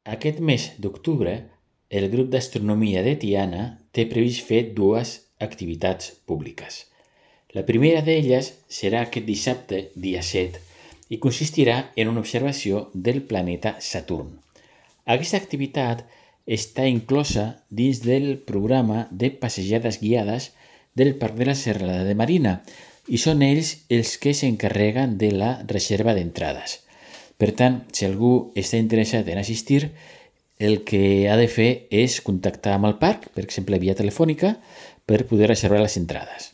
Aquest mes d'octubre, el grup d'astronomia de Tiana té previst fer dues activitats públiques. La primera d'elles serà aquest dissabte, dia 7, i consistirà en una observació del planeta Saturn. Aquesta activitat està inclosa dins del programa de passejades guiades del Parc de la Serralada de Marina i són ells els que s'encarreguen de la reserva d'entrades. Per tant, si algú està interessat en assistir, el que ha de fer és contactar amb el parc, per exemple via telefònica, per poder reservar les entrades.